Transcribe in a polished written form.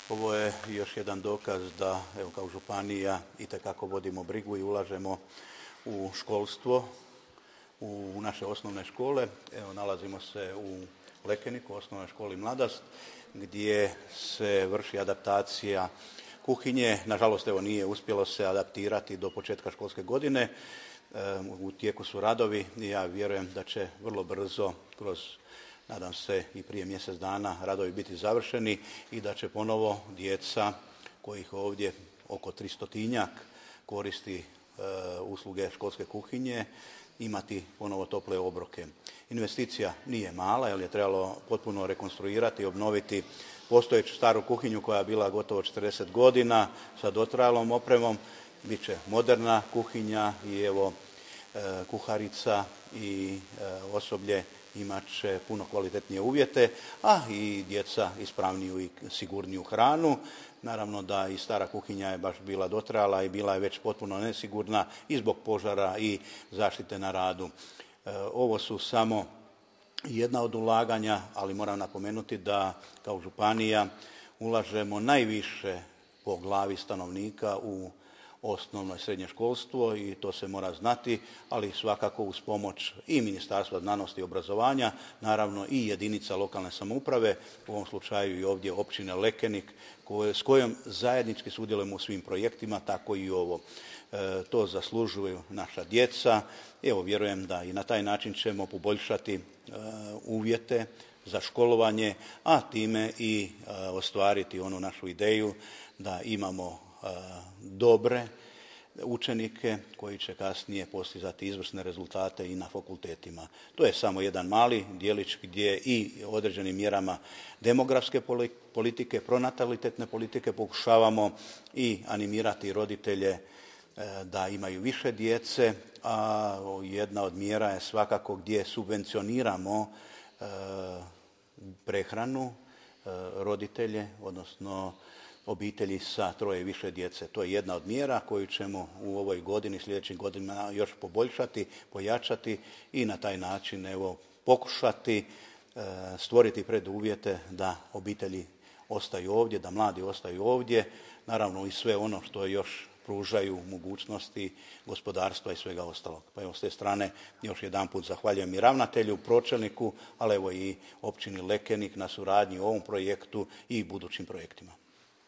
Ovo je još jedan dokaz da evo, kao županija itekako vodimo brigu i ulažemo u školstvo, u naše osnovne škole. Evo, nalazimo se u Lekeniku, osnovnoj školi Mladost, gdje se vrši adaptacija kuhinje. Nažalost, evo, nije uspjelo se adaptirati do početka školske godine. U tijeku su radovi i ja vjerujem da će vrlo brzo kroz, nadam se i prije mjesec dana, radovi biti završeni i da će ponovo djeca kojih ovdje oko 300-tinjak koristi usluge školske kuhinje imati ponovo tople obroke. Investicija nije mala jer je trebalo potpuno rekonstruirati i obnoviti postojeću staru kuhinju koja je bila gotovo 40 godina sa dotrajalom opremom. Biće moderna kuhinja i evo kuharica i osoblje imat će puno kvalitetnije uvjete, a i djeca ispravniju i sigurniju hranu. Naravno da i stara kuhinja je baš bila dotrajala i bila je već potpuno nesigurna i zbog požara i zaštite na radu. Ovo su samo jedna od ulaganja, ali moram napomenuti da kao županija ulažemo najviše po glavi stanovnika u osnovno i srednje školstvo i to se mora znati, ali svakako uz pomoć i Ministarstva znanosti i obrazovanja, naravno i jedinica lokalne samouprave, u ovom slučaju i ovdje općine Lekenik, s kojom zajednički sudjelujemo u svim projektima, tako i ovo. To zaslužuju naša djeca. Evo, vjerujem da i na taj način ćemo poboljšati uvjete za školovanje, a time i ostvariti onu našu ideju da imamo dobre učenike koji će kasnije postizati izvrsne rezultate i na fakultetima. To je samo jedan mali djelić gdje i određenim mjerama demografske politike, pronatalitetne politike pokušavamo i animirati roditelje da imaju više djece, a jedna od mjera je svakako gdje subvencioniramo prehranu roditelje, odnosno obitelji sa troje i više djece. To je jedna od mjera koju ćemo u ovoj godini, sljedećim godinama još poboljšati, pojačati i na taj način evo, pokušati stvoriti preduvjete da obitelji ostaju ovdje, da mladi ostaju ovdje, naravno i sve ono što još pružaju mogućnosti gospodarstva i svega ostalog. Pa evo s te strane još jedanput zahvaljujem i ravnatelju, pročelniku, ali evo i općini Lekenik na suradnji u ovom projektu i budućim projektima.